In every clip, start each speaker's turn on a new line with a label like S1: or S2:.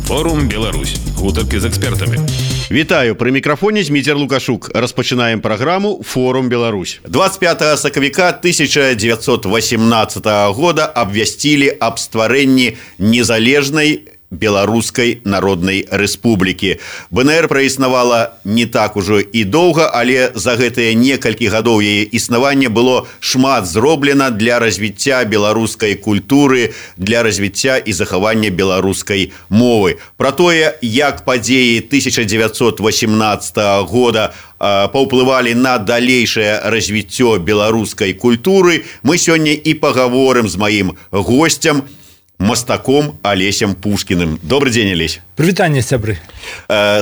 S1: Форум Беларусь. Гутарки з экспертамі.
S2: Вітаю, пры мікрафоне Зміцер Лукашук. Распачынаем праграму «Форум Беларусь». 25 сакавіка 1918 года абвясцілі аб стварэнні незалежнай Беларускай Народнай Рэспублікі. БНР праіснавала не так ужо і доўга, але за гэтыя некалькі гадоў яе існавання было шмат зроблена для развіцця беларускай культуры, для развіцця і захавання беларускай мовы. Пра тое, як падзеі 1918 года паўплывалі на далейшае развіццё беларускай культуры, мы сёння і пагаворым з маім госцем, мастаком Алесем Пушкиным. Добрый день, Олесь.
S3: Привитание, сябры.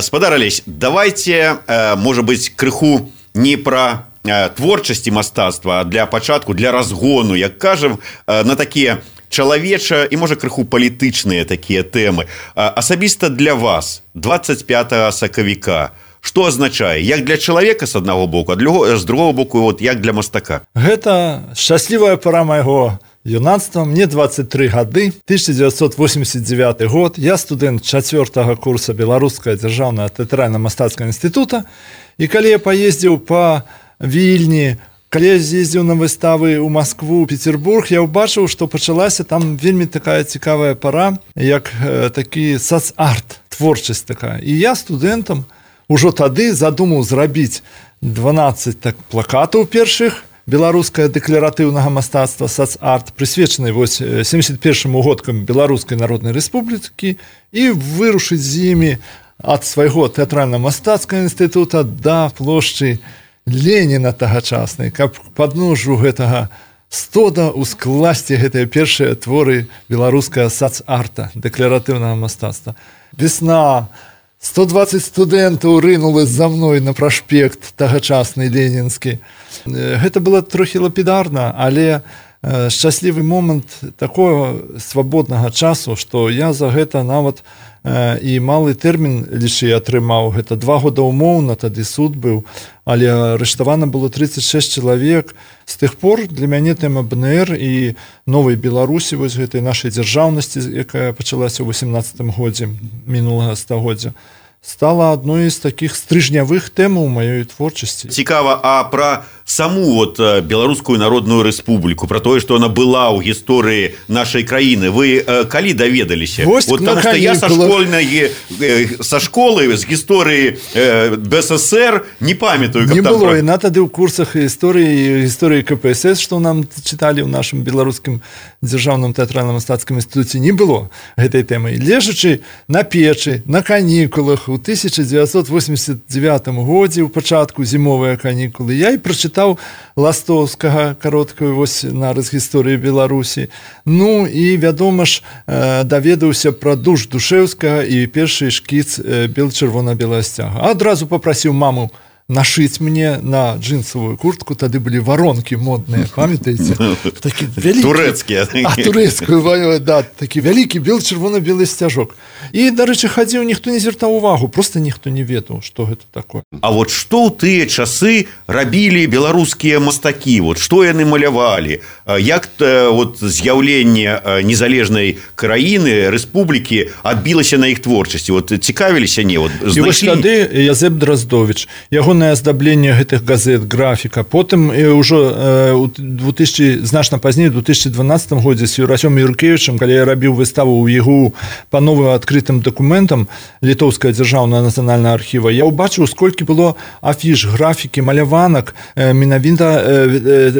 S2: Спадар Олесь, давайте, может быть, крыху не про творчасць і мастацтва, а для пачатку, для разгону, як кажам, на такія чалавеча і, можа, крыху палітычныя такія тэмы. Асабіста для вас 25 сакавіка што азначае? Як для чалавека з аднаго боку, а з другого боку, вот, як для мастака?
S3: Гэта шчаслівая пара майго юнацтва. Мне 23 гады, 1989 год. Я студэнт 4-го курса Беларускага дзяржаўнага тэатральна-мастацкага інстытута. І калі я паездзіў па Вільні, калі я з'ездзіў на выставы ў Маскву, Петербург, я ўбачыў, што пачалася там вельмі такая цікавая пара, як такі сац-арт, творчасць такая. І я студэнтам ужо тады задумаў зрабіць 12 плакатаў першых беларускае дэкларатыўнага мастацтва сац-арт, прысвечанай 71-му годкам Беларускай Народнай Рэспублікі, і вырушыць з імі ад свайго тэатральна-мастацкага інстытута да плошчы Леніна тагачаснай, каб падножжу гэтага стода ускласці гэтыя першыя творы беларускага сац-арта, дэкларатыўнага мастацтва. Весна. 120 студэнтаў рынулась за мной на праспект тагачасны ленінскі. Гэта было трохі лапідарна, але шчаслівы момант такого свабоднага часу, што я за гэта нават і малы тэрмін лічы атрымаў. Гэта 2 года умоўна, тады суд быў, але арыштавана было 36 чалавек. З тых пор для мяне тэма БНР і новай Беларусі, вось гэтай нашай дзяржаўнасці, якая пачалася ў 18 годзе мінулага стагоддзя, стала адной з такіх стрыжнявых тэмаў маёй творчасці.
S2: Цікава, а пра саму вот Беларускую Народную Рэспубліку, пра тое, што она была ў гісторыі нашай краіны, вы калі даведаліся?
S3: Вот
S2: потому что я са школы, з гісторыі БССР не памятаю.
S3: Не было, і на тады ў курсах гісторыі КПСС, што нам чыталі ў нашым беларускім дзяржаўным тэатральна-мастацкім інстытуце, не было гэтай тэмы. Лежачы на печы, на канікулах, у 1989 годзе, у пачатку зімовыя канікулы, я і прачытаў Ластоўскага кароткую вось нарыс гісторыі Беларусі. Ну і, вядома ж, даведаўся пра душ Душэўскага і першы шкіц бел-чырвона-белая сцяга. Адразу папрасіў маму нашыць мне на джинсовую куртку, тады былі варонкі модныя, памятаеце?
S2: Турэцкія.
S3: Турэцкую, да, такі вялікі бел-чырвона-белы сцяжок. І, дарэчы, хадзіў, ніхто не звяртаў увагу, просто ніхто не ведаў, што гэта такое.
S2: А вот што ў тыя часы рабілі беларускія мастакі? Вот што яны малявалі? Як вот з'яўленне незалежнай краіны, рэспублікі адбілася на іх творчасці? Вот цікавіліся не? Вот,
S3: і вось тады Язэп Драздовіч, яго аздабленне гэтых газет, графіка. Потым ўжо значна пазней, у 2012 годзе з Юрасём Юркевічам, калі я рабіў выставу ў ЕГУ па новым адкрытым дакументам Літоўская дзяржаўная нацыянальная архіва, я ўбачыў, сколькі было афіш, графікі, маляванак, менавіта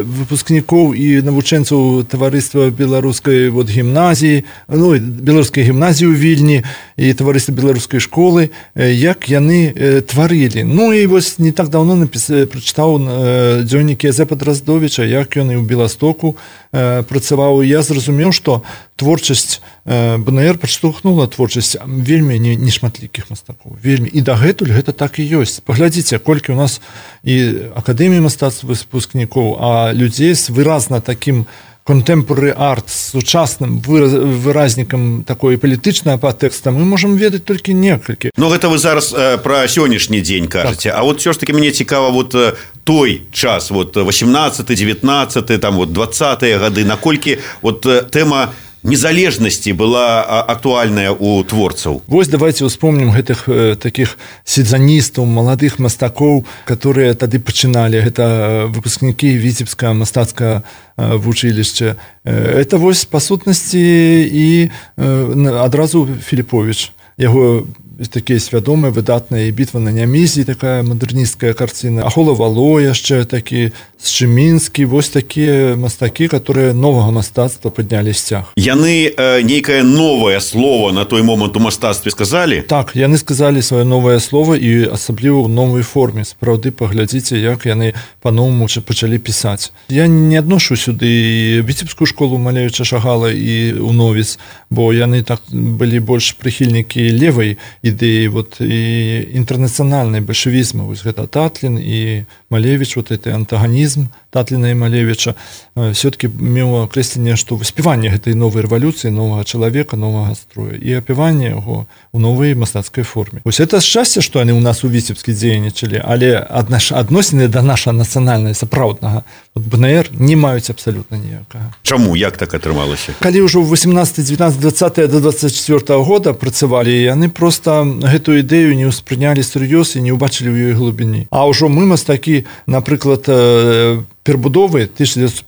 S3: выпускнікоў і навучэнцаў таварыства беларускай гімназіі, беларускай гімназіі ў Вільні і таварыства беларускай школы, як яны тварылі. Ну і вось не так давно прачытаў дзённік Язэпа Драздовіча, як ён і ў Беластоку працаваў. Я зразумеў, што творчасць БНР падштурхнула творчасць вельмі нешматлікіх мастакоў. Вельмі. І дагэтуль гэта так і ёсць. Паглядзіце, колькі у нас і акадэміі мастацтва выпускнікоў, а людзей з выразна такім contemporary art, з сучасным выразнікам такой палітычнай падтэкста, мы можам ведаць толькі некалькі.
S2: Ну, гэта вы зараз пра сённяшні дзень кажаце. Так. А вот все ж таки мне цікава вот той час, вот 18, 19, там вот 20-е гады, наколькі вот тэма незалежнасці была актуальная у творцаў?
S3: Вось давайте успомнім гэтых таких седзаністаў, маладых мастакоў, которые тады пачыналі. Гэта выпускнікі Віцебскага мастацкага вучылішча. Это вось па сутнасці і адразу Філіповіч. Яго такія свядомыя, выдатныя, і бітва на Нямізі, такая мадэрнісцкая карціна. Ахола Вало яшчэ такі, Счымінскі, вось такія мастакі, которые новага мастацтва паднялі сцяг.
S2: Яны нейкае новае слово на той момант у мастацтве сказалі?
S3: Так, яны сказалі сваё новае слово і асабліва ў новай форме. Сапраўды, паглядзіце, як яны па-новаму пачалі пісаць. Я не адношу сюды і Віцебскую школу Малевіча Шагала і Уновіц, бо яны так былі больш прыхільнікі левай ідэі, вот, і інтэрнацыянальнай бальшавізму. Вось гэта Татлін і Малевіч, вот это антаганізм Татліна і Малевіча, все-таки меў акрэсленне, што выспяванне гэтай новай рэвалюцыі, новага чалавека, новага строя і апяванне яго ў новай мастацкай форме. Вось это шчасце, што яны ў нас у Віцебскі дзейнічалі, але адносіны да нашага нацыянальнай сапраўднага БНР не маюць абсалютна ніякага.
S2: Чаму? Як так атрымалася?
S3: Калі ўжо ў 18, 19, 20 до 24 года працавалі, яны проста гэтую ідэю не ўспрынялі сур'ёз і не ўбачылі ў ёй глыбіні. А ўжо мы мастакі, напрыклад, перабудовы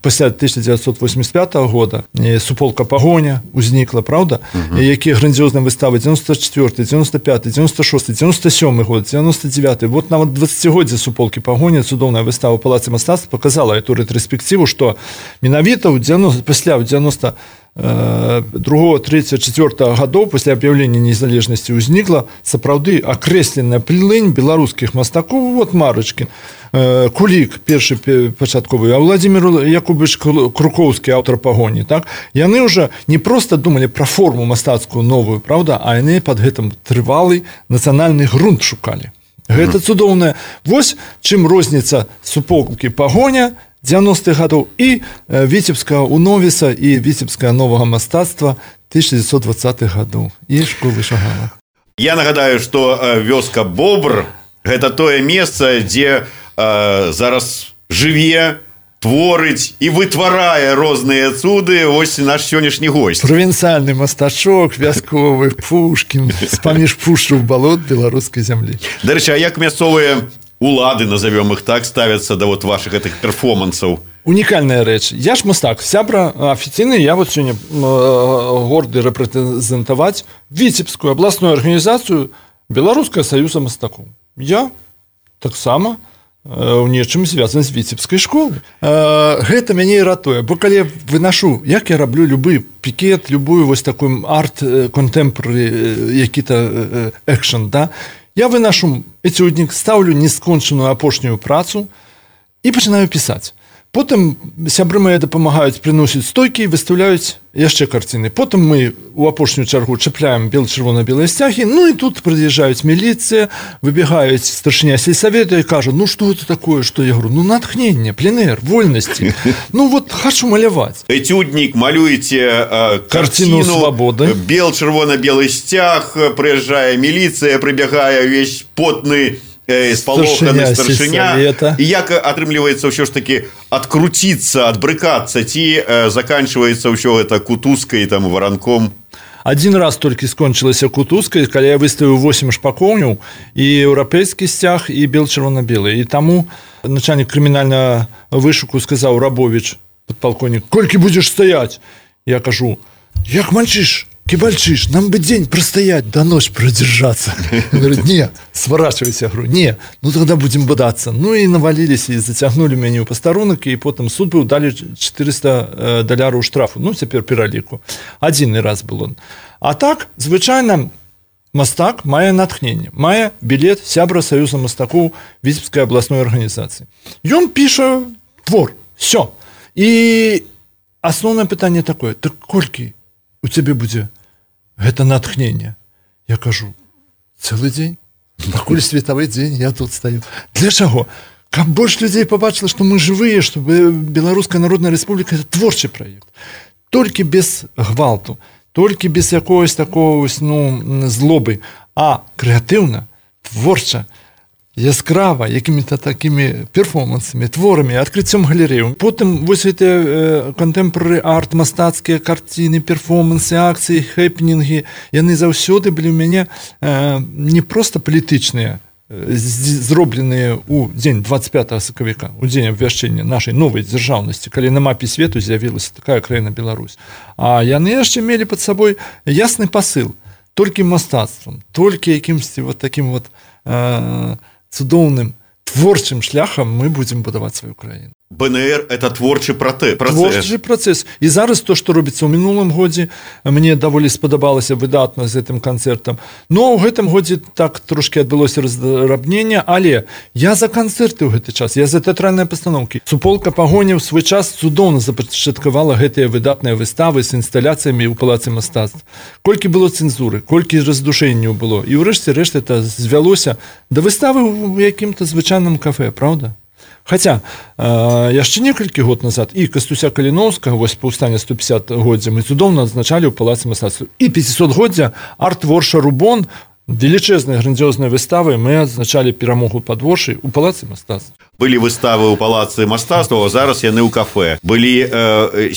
S3: пасля 1985 года суполка «Пагоня» узнікла, правда? Якія грандзёзныя выставы 94, 95, 96, 97 год, 99. Вот нават 20-годдзе суполкі «Пагоня», цудоўная выстава ў Палацы мастацтва паказала эту рэтраспектыву, што менавіта пасля 92, 3, 4 гадоў пасля аб'яўлення незалежнасці ўзнікла сапраўды акрэсленая плынь беларускіх мастакоў. Вот Марачкін, Кулік, першы пачатковы, а Владимир Якубович Крукоўскі, аўтар «Пагоні». Так? Яны ўжо не проста думалі пра форму мастацкую новую, правда, а яны пад гэтым трывалы нацыянальны грунт шукалі. Гэта цудоўная. Вось чым розніца суполкі «Пагоня» 90-х гадоў і Віцебскага Уновіса і Віцебскага новага мастацтва 1920-х гадоў і школы Шагала.
S2: Я нагадаю, што вёска Бобр – гэта тое месца, дзе зараз жыве, творыць і вытварае розныя цуды вось наш сённяшні госць.
S3: Правінцыяльны мастачок, вясковы, Пушкін, з-паміж пушчаў балот беларускай зямлі.
S2: Дарэчы, а як мясцовыя улады, назовем их так, ставятся до вот ваших этих перформансов?
S3: Унікальная рэч. Я ж мастак, сябра афіцыйны, я вот сёння горды рэпрэзентаваць Віцебскую абласную арганізацыю Беларускага саюза мастакоў. Я таксама у нечым звязан з Віцебскай школай. Гэта мяне і ратуе, бо калі вынашу, як я раблю любы пікет, любую вось такую арт-контэмпары, які-то экшн, да? Я вынашу эцюднік, ставлю нескончаную апошнюю працу і пачынаю пісаць. Потым сябры мае дапамагаюць прыносіць стойкі і выстаўляюць яшчэ карціны. Потым мы у апошнюю чаргу чапляем чырвона-белыя сцягі, ну і тут прыязджаюць міліцыя, выбегаюць старшыня сельсавета і кажа: ну што это такое, што я говорю, ну натхненне, пленэр, вольнасці. Ну вот хочу маляваць.
S2: Этюднік, малюеце
S3: карціну свабоды.
S2: Бел, чырвона-белы сцяг, прыязджае міліцыя, прыбягае увесь потны спалоханы старшыня. І як атрымліваецца ўсё ж таки адкруціцца, адбрыкацца, ці заканчваецца ўсё гэта кутузкай, там, варанком?
S3: Один раз толькі скончылася кутузкай, калі я выставіў 8 шпакоўняў, і еўрапейскі сцяг, і бел-чырвона-белы. І таму начальнік крымінальнага вышуку сказаў: Рабович, падпалконнік, колькі будзеш стаяць? Я кажу: як мальчиш, кибальчиш, нам бы день простоять, до ночь продержаться. Он говорит: не, сворачивайся. Я говорю: не, ну тогда будем бодаться. Ну и навалились, и затягнули меня у пастарунок, и потом суд был, дали $400 штрафу. Ну, теперь пераліку. Один раз был он. А так, звычайно, мастак мае натхненне, мае билет сябра Саюза мастакоў Віцебскай абласной арганізацыі. Ён піша твор, все. И основное пытанне такое: так колькі у цябе будзе гэта натхненне? Я кажу: цэлы дзень, пакуль светавы дзень я тут стаю. Для чаго? Каб больш людзей побачыла, што мы жывыя, што Беларуская Народная Рэспубліка — это творчы праект. Толькі без гвалту, толькі без якогось такого, ну, злобы, а крэатыўна, творча. яскрава, якімі-то такімі перформансамі, творамі, адкрыццём галерэяў. Потым вось гэтыя contemporary арт, мастацкія карціны, перформансы, акцыі, хэпнінгі, яны заўсёды былі ў мяне не проста палітычныя, зробленыя ў дзень 25 сакавіка, у дзень абвяшчэння нашай новай дзяржаўнасці, калі на мапе свету з'явілася такая краіна Беларусь. А яны яшчэ мелі пад сабой ясны пасыл. Толькі мастацтвам, толькі якімсьці вот такім вот цудоўным творчым шляхам мы будзем будаваць сваю краіну.
S2: БНР – это творчы працэс.
S3: Творчы працэс. І зараз то, што робіцца ў мінулым годзе, мне даволі спадабалася выдатна з гэтым канцэртам. Но ў гэтым годзе так трошкі адбылося раздрабненне, але я за канцэрты ў гэты час, я за тэатральныя пастаноўкі. Суполка Пагоня ў свой час цудоўна запачаткавала гэтыя выдатныя выставы з інсталяцыямі ў палацы мастацтв. Колькі было цэнзуры, колькі раздушэнняў было. І ўрэшце рэшт это звялося да выставы ў якім-то звычайным кафе, правда? Хаця, яшчэ некалькі год назад і Кастуся Каліноўскага, вось паўстання 150-годдзя, мы цудоўна адзначалі ў палацы мастацтва. І 500-годдзя арт-творча Рубон, велічэзныя грандзёзныя выставы, мы адзначалі перамогу падворшай у палацы мастацтва.
S2: Былі выставы ў палацы мастацтва, а зараз яны ў кафе. Былі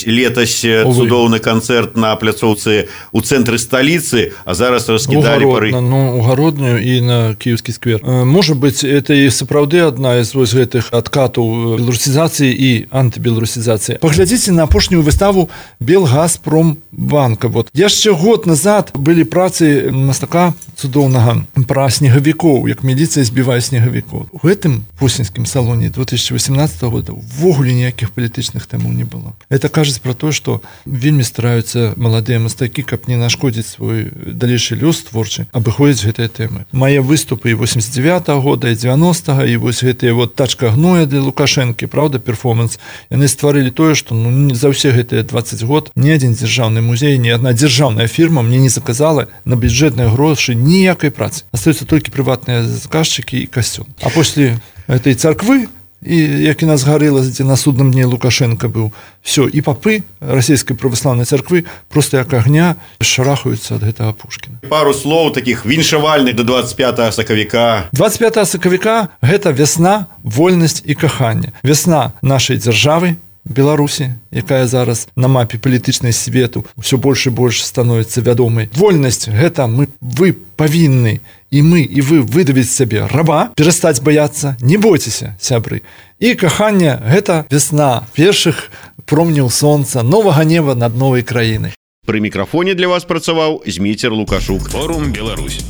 S2: летась цудоўны канцэрт на пляцоўцы ў цэнтры сталіцы, а зараз раскідалі пары.
S3: У Гароднюю і на Кіеўскі сквер. Можа быць, это і сапраўды адна з вось гэтых адкатаў беларусізацыі і антыбеларусізацыі. Паглядзіце на апошнюю выставу Белгазпромбанка. Вот. Яшчэ год назад былі працы мастака цудоўнага пра снегавікоў, як міліцыя збівае снегавікоў. У гэтым восеньскім салоне 2018 года ввогуле ніякіх палітычных тэмаў не было. Это кажуць пра тое, што вельмі стараюцца маладыя мастакі, каб не нашкодзіць свой далейшы лёс творчы, абыходзіць гэтыя тэмы. Мае выступы і 89-го года, і 90-го, і вось гэтыя вот тачка гноя для Лукашэнкі, правда, перформанс, яны стварылі тое, што за ўсе гэтыя 20 год ні адзін дзяржаўны музей, ні адна дзяржаўная фірма мне не заказала на бюджэтныя грошы ніякай працы. Астаюцца толькі прыватныя заказчыкі і касцёл. А после этой царквы, і як і нас гарэла, дзе на судным дне Лукашенко быў, все, і папы расійскай праваслаўнай царквы просто як агня шарахаюцца ад гэтага Пушкіна.
S2: Пару слоў такіх віншавальных да 25 сакавіка.
S3: 25 сакавіка – гэта вясна, вольнасць і каханне. Вясна нашай дзяржавы, Беларусі, якая зараз на мапе палітычнай свету ўсё больш і больш становіцца вядомай. Вольнасць – гэта вы павінны і мы, і вы выдавіць сябе раба, перастаць баяцца, не бойцеся, сябры. І каханне – гэта вясна першых променяў сонца, новага неба над новай краінай.
S2: Пры мікрафоне для вас працаваў Зміцер Лукашук.
S1: Форум Беларусь.